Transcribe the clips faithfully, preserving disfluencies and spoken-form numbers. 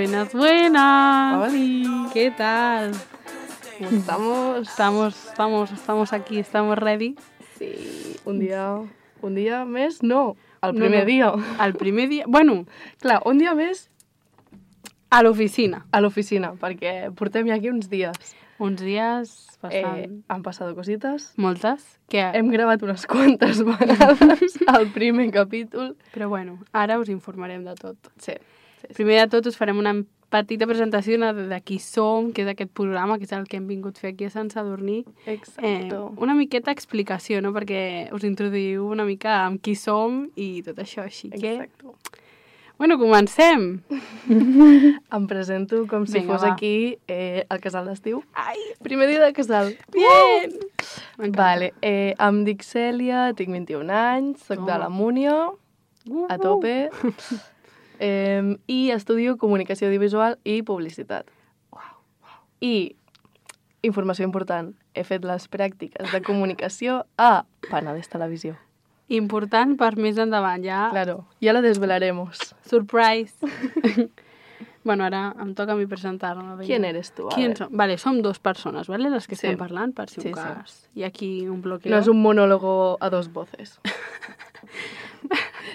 Buenas, buenas. Hola. ¿Qué tal? ¿Cómo estamos? Estamos, estamos, estamos aquí, estamos ready. Sí, un dia, un dia més, no, el No, primer no. dia. El primer dia... Bueno, Clar, un dia més a l'oficina. a l'oficina, perquè portem ja aquí uns dies. Uns dies bastant... Eh, han passat cosites. Moltes. Que... Hem gravat unes quantes vegades el primer capítol. Però bueno, ara us informarem de tot. Sí, sí, sí. Primer de tot us farem una petita presentació de, de qui som, que és aquest programa, que és el que hem vingut a fer aquí a Sant Sadurní. Exacto. Eh, una miqueta explicació, no? Perquè us introduïu una mica amb qui som i tot això, així que... Exacto. Bueno, comencem! Em presento com si Vinga, fos va. aquí eh, el casal d'estiu. Ai, Primer dia de casal. bien! Uh! Vale, eh, em dic Cèlia, tinc vint-i-un anys, soc de Toma. la Múnia, a tope, eh, i estudio comunicació audiovisual i publicitat. I, informació important, he fet les pràctiques de comunicació a Penedès Televisió. Important per més endavant, ja. Claro, ya la desvelaremos. Surprise! Bueno, ara em toca a mi presentar-me. vinga. ¿Quién eres tú? A Qui ver. som? Vale, som dos persones, vale? Les que Sí. estem parlant, per si un Sí, sí. cas. Hi ha aquí un bloqueo. No és un monòlogo a dos voces.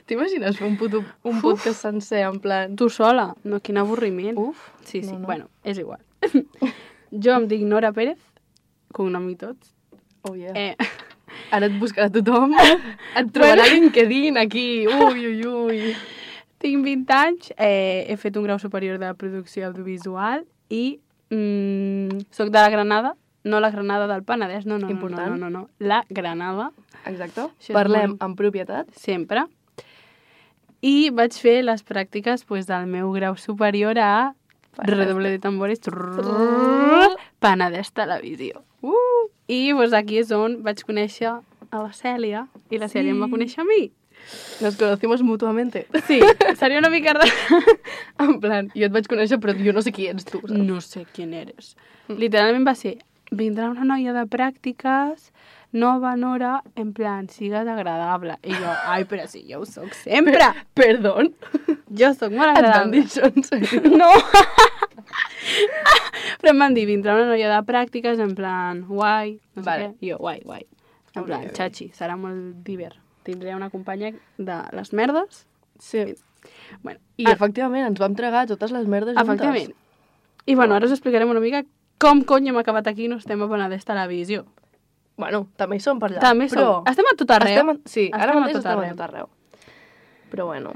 T'imagines fer un, puto, un podcast sencer en plan... Tu sola? No, quin avorriment. Uf, Sí, sí, no, no. bueno, és igual. Jo em dic Nora Pérez, cognom i tots. Oh, yeah. Eh, Ara et buscarà tothom, et trobarà a LinkedIn aquí, ui, ui, ui. tinc vint anys, eh, he fet un grau superior de producció audiovisual i mm, soc de la Granada, no la Granada del Penedès, no, no, no, no, Important. no, no, no, la Granada, Exacte. Això és Parlem molt- en propietat. sempre. I vaig fer les pràctiques pues, del meu grau superior a redoble de tambores, trrrr, Penedès Televisió. Uh! I pues, aquí és on vaig conèixer a la Cèlia i la Cèlia Sí. em va conèixer a mi. Nos conocimos mutuamente. Sí, seria una mica... ra- En plan, jo et vaig conèixer, però jo no sé qui ets tu, saps? No sé quién eres. Literalment va ser, vindrà una noia de pràctiques, nova Nora, en plan, sigues agradable. I jo, ai, però si jo ho soc sempre. Perdón. Jo soc molt Et van agradable. dir això, en sèrio? No! Però em van dir, vindrà una noia de pràctiques, en plan, guai, no sé Vale. què. I jo, guai, guai. En Ok, plan, ok. xachi, serà molt divert. Tindré una companya de les merdes. Sí. Bueno, I ah, efectivament, ens vam tregar totes les merdes juntes. efectivament. I bueno, ara us explicarem una mica com cony hem acabat aquí i no estem a Penedès Televisió. Bueno, també hi som per allà. També però... som. Estem a tot arreu. Estem a... Sí, Estem ara a mateix tot estem arreu. a tot arreu. Però bueno.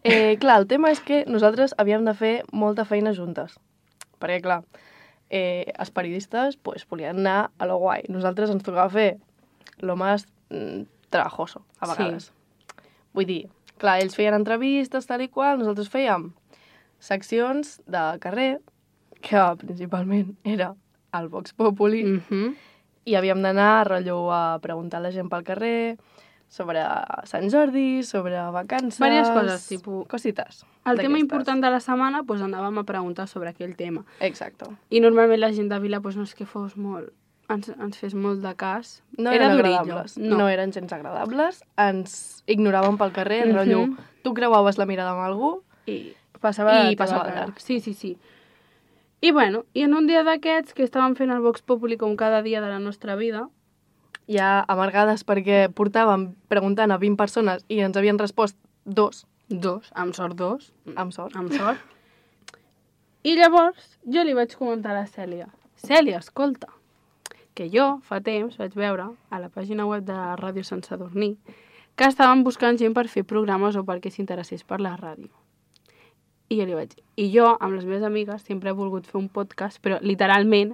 Eh, clar, el tema és que nosaltres havíem de fer molta feina juntes. Perquè, clar, eh, els periodistes pues, volien anar a lo guai. Nosaltres ens tocava fer lo más mm, trabajoso, a Sí. vegades. Vull dir, clar, ells feien entrevistes, tal i qual, nosaltres fèiem seccions de carrer, que principalment era el Vox Populi, mm. Mhm. i havíem d'anar a rotllo a preguntar a la gent pel carrer sobre Sant Jordi, sobre vacances... Vàries coses, tipus- Cosites. El tema d'aquestes. important de la setmana, doncs anàvem a preguntar sobre aquell tema. Exacte. I normalment la gent de Vila doncs, no és que fos molt... Ens, ens fes molt de cas. No Era eren durillo. agradables. No. no eren gens agradables. Ens ignoraven pel carrer, Mhm. rotllo... Tu creuaves la mirada amb algú I passava, I de passava teva de cara. llarg. Sí, sí, sí. I bueno, i en un dia d'aquests que estàvem fent el Vox Populi com cada dia de la nostra vida, ja amargades perquè portàvem preguntant a vint persones i ens havien respost dos, dos, amb sort dos, amb sort. amb sort. I llavors jo li vaig comentar a la Cèlia, Cèlia, escolta, que jo fa temps vaig veure a la pàgina web de Ràdio Sant Sadurní que estaven buscant gent per fer programes o perquè s'interessés per la ràdio. I jo li vaig dir, i jo amb les meves amigues sempre he volgut fer un podcast, però literalment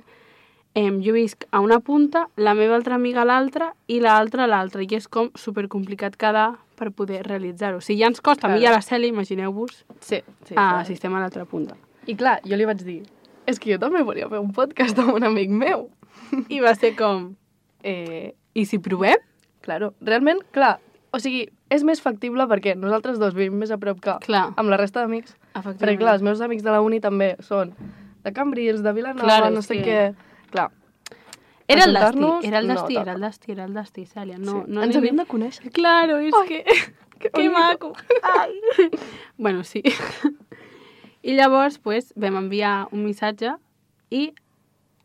eh, jo visc a una punta, la meva altra amiga a l'altra i l'altra a l'altra, i és com supercomplicat quedar per poder realitzar-ho. Si ja ens costa a mi i a la Cèlia, imagineu-vos, Sí, sí. ah, clar. si estem a l'altra punta. I clar, jo li vaig dir, és que jo també volia fer un podcast amb un amic meu. I va ser com, Eh, i si provem? claro, realment, clar, o sigui, és més factible perquè nosaltres dos vivim més a prop que Clar. amb la resta d'amics. Perquè, clar, els meus amics de la uni també són de Cambrils, de Vilanova, Claro, no és sé que- què... Clar, Era el destí, ajuntar-nos, era el no destí, toca. era el destí, era el destí, Cèlia. No, sí. no Ens anem- havíem de conèixer. Claro, és Ai, que... que Que bonito. maco. Ai. Bueno, sí. I llavors pues, vam enviar un missatge i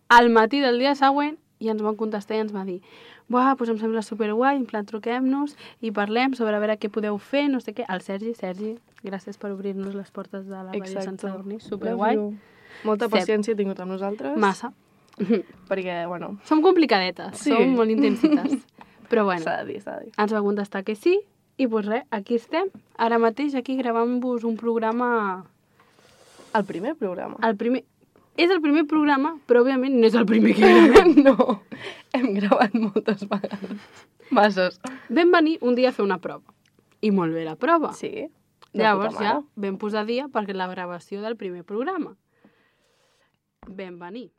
al matí del dia següent i ens van contestar i ens va dir «Buah, doncs em sembla superguai, en plan truquem-nos i parlem sobre a veure què podeu fer, no sé què». El Sergi, Sergi, gràcies per obrir-nos les portes de la Ràdio Sant Sadurní, superguai. Molta paciència he tingut amb nosaltres. Massa. Perquè, bueno... Som complicadetes, sí. Som molt intensites. Però bueno, s'ha de dir, s'ha de dir. Ens va contestar que sí i doncs res, aquí estem. Ara mateix aquí gravant-vos un programa... El primer programa? El primer... És el primer programa, però òbviament no és el primer que gravem. No, hem gravat moltes vegades. Masses. Vam venir un dia a fer una prova. I molt bé la prova. Sí. Llavors ja vam posar dia perquè la gravació del primer programa. Vam venir.